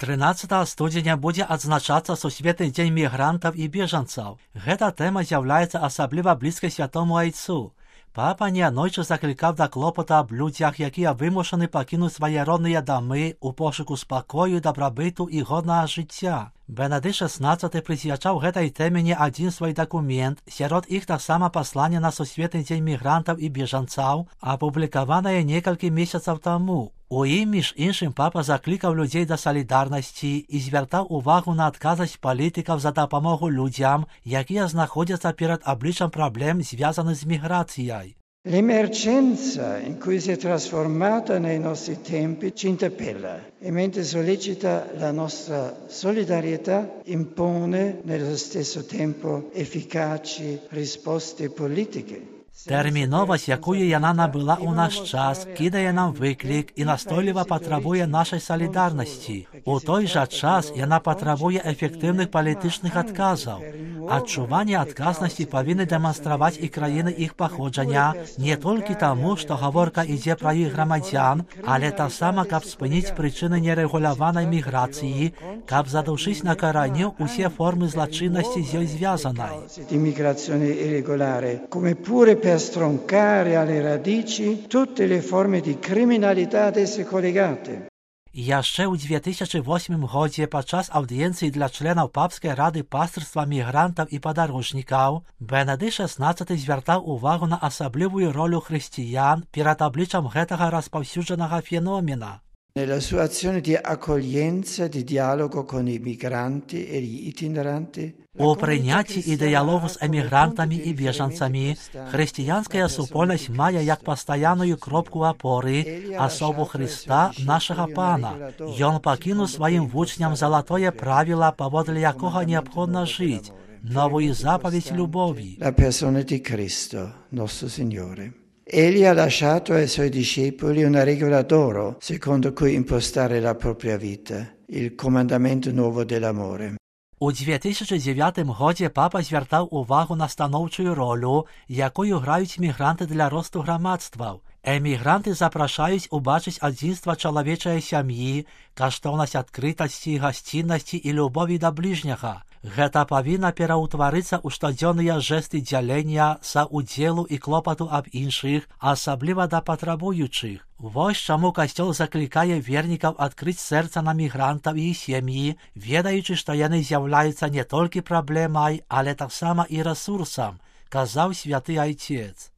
13 студзеня будзе адзначацца Сусветны дзень мігрантаў і бежанцаў. Гэта тэма з'яўляецца асабліва блізкай святому айцу. Папа неаднойчы заклікаў да клопата аб людзях, якія вымушаны пакінуць свае родныя дамы ў пошуку спакою, дабрабыту і годнага жыцця. Бенедыкт XVI прысвячаў гэтай тэме не адзін свой дакумент, сярод іх таксама пасланне на Сусветны дзень мігрантаў і бежанцаў, апублікаванае некалькі месяцаў таму. У ім, між іншым, папа заклікаў людзей да салідарнасці і звяртаў увагу на адказнасць палітыкаў за дапамогу людзям, якія знаходзяцца перад абліччам праблем, звязаных з міграцыяй. L'emergenza in cui si è trasformata nei nostri tempi ci interpella e mentre sollecita la nostra solidarietà impone nello stesso tempo efficaci risposte politiche. Тэрміновасць, якую яна набыла ў наш час, кідае нам выклік і настойліва патрабуе нашай салідарнасці. У той жа час яна патрабуе эфектыўных палітычных адказаў. Адчуванне адказнасці павінны дэманстраваць і краіны іх паходжання не толькі таму, што гаворка ідзе пра іх грамадзян, але таксама, каб спыніць прычыны нерэгуляванай міграцыі, каб задушыць на караню ўсе формы злачыннасці з ёй звязанай. Per stroncare alle radici tutte le forme di criminalità ad esse collegate. Яшчэ ў 2008 годзе падчас аўдыенцыі для членаў Папскай рады пастырства мігрантаў і падарожнікаў Бенедыкт XVI звяртаў увагу на асаблівую ролю хрысціян перад абліччам гэтага распаўсюджанага феномена. Nella sua azione di accoglienza, di dialogo con i migranti e gli itineranti, у прыняцці і дыялогу з эмігрантамі і бежанцамі хрысціянская супольнасць мае як пастаянную кропку апоры асобу Хрыста, нашага Пана. Ён пакінуў сваім вучням залатое правіла, паводле якога неабходна жыць, новую запаведь любові. La persona di Cristo, nostro Signore. Egli ha lasciato ai suoi discepoli una regola d'oro, secondo cui impostare la propria vita, il comandamento nuovo dell'amore. У 2009 годзе папа звяртаў увагу на станоўчую ролю, якую граюць мігранты для росту грамадстваў. Эмігранты запрашаюць убачыць адзінства чалавечай сям'і, каштоўнасць адкрытасці, гасціннасці і любові да бліжняга. Гэта павінна пераўтварыцца ў штодзённыя жэсты дзялення, саўдзелу і клопату аб іншых, асабліва да патрабуючых. Вось чаму касцёл заклікае вернікаў адкрыць сэрца на мігрантаў і сем'і, ведаючы, што яны з'яўляюцца не толькі праблемай, але таксама і рэсурсам, казаў святы айцец.